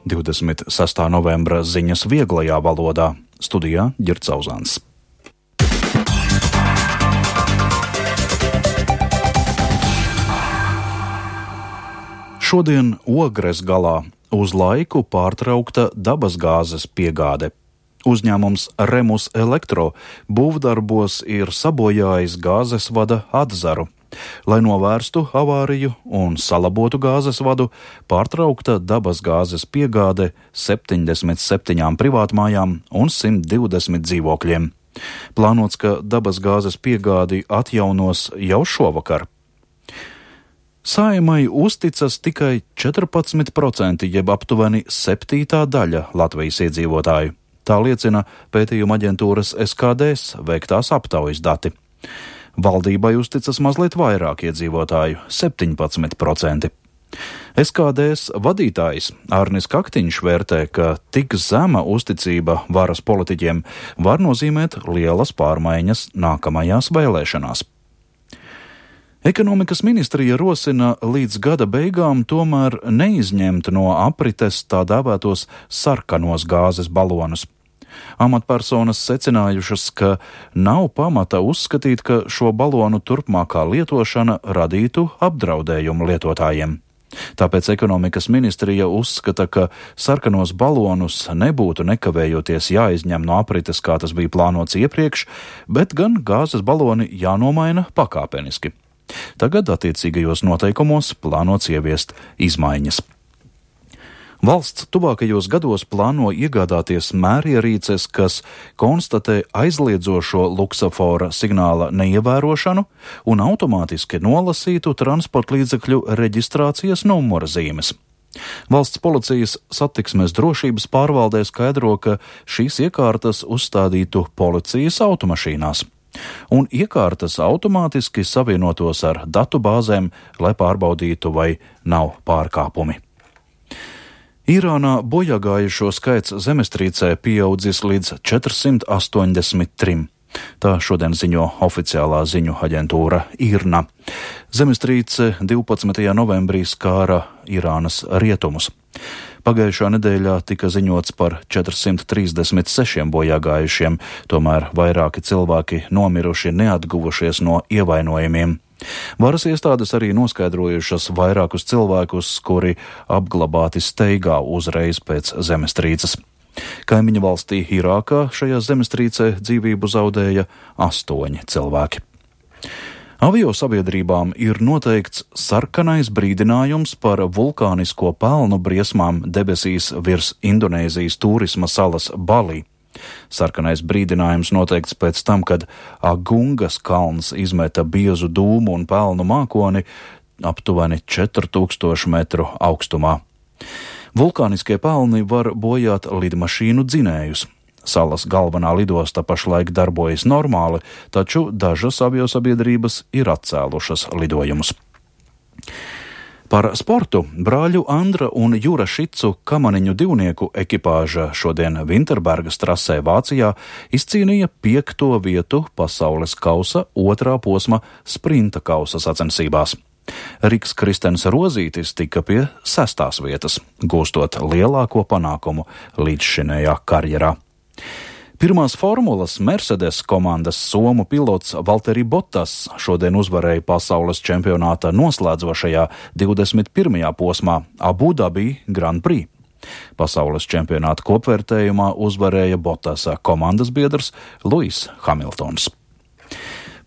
26. novembra ziņas vieglajā valodā. Studijā Ģirds Zauzāns. Šodien Ogres galā uz laiku pārtraukta dabasgāzes piegāde. Uzņēmums Remus Elektro būvdarbos ir sabojājis gāzes vada atzaru. Lai novērstu avāriju un salabotu gāzes vadu, pārtraukta dabasgāzes piegāde 77 privātmājām un 120 dzīvokļiem. Plānots, ka dabasgāzes piegādi atjaunos jau šovakar. Saeimai uzticas tikai 14%, jeb aptuveni 7. daļa Latvijas iedzīvotāju. Tā liecina pētījuma aģentūras SKDS veiktās aptaujas dati. Valdībai uzticas mazliet vairāk iedzīvotāju – 17%. SKDS vadītājs Arnis Kaktiņš vērtē, ka tik zema uzticība varas politiķiem var nozīmēt lielas pārmaiņas nākamajās vēlēšanās. Ekonomikas ministrija rosina līdz gada beigām tomēr neizņemt no aprites tā dēvētos sarkanos gāzes balonus. Amatpersonas secinājušas, ka nav pamata uzskatīt, ka šo balonu turpmākā lietošana radītu apdraudējumu lietotājiem. Tāpēc ekonomikas ministrija uzskata, ka sarkanos balonus nebūtu nekavējoties jāizņem no aprites, kā tas bija plānots iepriekš, bet gan gāzes baloni jānomaina pakāpeniski. Tagad attiecīgajos noteikumos plānots ieviest izmaiņas. Valsts tuvākajos gados plāno iegādāties mērierīces, kas konstatē aizliedzošo luksafora signāla neievērošanu un automātiski nolasītu transportlīdzekļu reģistrācijas numura zīmes. Valsts policijas satiksmes drošības pārvaldē skaidro, ka šīs iekārtas uzstādītu policijas automašīnās. Un iekārtas automātiski savienotos ar datu bāzēm, lai pārbaudītu, vai nav pārkāpumi. Irānā bojāgājušo skaits zemestrīcē pieaudzis līdz 483. Tā šodien ziņo oficiālā ziņu aģentūra IRNA. Zemestrīce 12. novembrī skāra Irānas rietumus. Pagājušā nedēļā tika ziņots par 436 bojāgājušiem, tomēr vairāki cilvēki nomiruši neatguvušies no ievainojumiem. Varas iestādes arī noskaidrojušas vairākus cilvēkus, kuri apglabāti steigā uzreiz pēc zemestrīces. Kaimiņu valstī Irākā šajā zemestrīcē dzīvību zaudēja 8 cilvēki. Aviosabiedrībām ir noteikts sarkanais brīdinājums par vulkānisko pelnu briesmām debesīs virs Indonēzijas turisma salas Balī. Sarkanais brīdinājums noteikts pēc tam, kad Agungas kalns izmeta biezu dūmu un pelnu mākoni aptuveni 4000 metru augstumā. Vulkāniskie pelni var bojāt lidmašīnu dzinējus. Salas galvenā lidosta pašlaik darbojas normāli, taču dažas aviosabiedrības ir atcēlušas lidojumus. Par sportu brāļu Andra un Jura Šicu kamaniņu divnieku ekipāža šodien Vinterbergas trasē Vācijā izcīnīja 5. vietu pasaules kausa 2. posma sprinta kausa sacensībās. Riks Kristens Rozītis tika pie 6. vietas, gūstot lielāko panākumu līdzšinējā karjerā. Pirmās formulas Mercedes komandas somu pilots Valtteri Bottas šodien uzvarēja pasaules čempionāta noslēdzošajā 21. posmā Abu Dhabi Grand Prix. Pasaules čempionāta kopvērtējumā uzvarēja Bottasa komandas biedrs Lewis Hamiltons.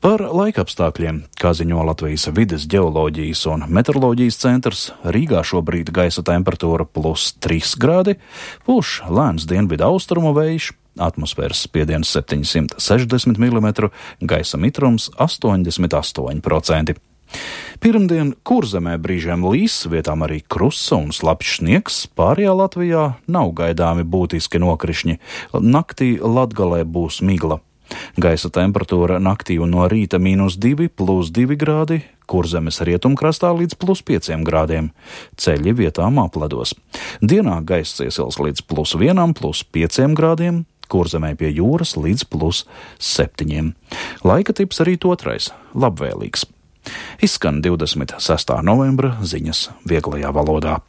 Par laikapstākļiem, kā ziņo Latvijas vides ģeoloģijas un meteoroloģijas centrs, Rīgā šobrīd gaisa temperatūra +3 grādi, pūš lēns dienvidu austrumu vējš, atmosfēras spiediens 760 mm, gaisa mitrums 88%. Pirmdien Kurzemē brīžiem līs, vietām arī krusa un slapjš sniegs, pārējā Latvijā nav gaidāmi būtiski nokrišņi. Naktī Latgalē būs migla. Gaisa temperatūra naktī un no rīta -2, +2 grādi, Kurzemes rietumkrastā līdz +5 grādiem. Ceļi vietām apledos. Dienā gaiss iesils līdz +1, +5 grādiem, Kurzemē pie jūras līdz +7. Laika tips arī otrais - labvēlīgs. Izskan 26. novembra ziņas vieglajā valodā.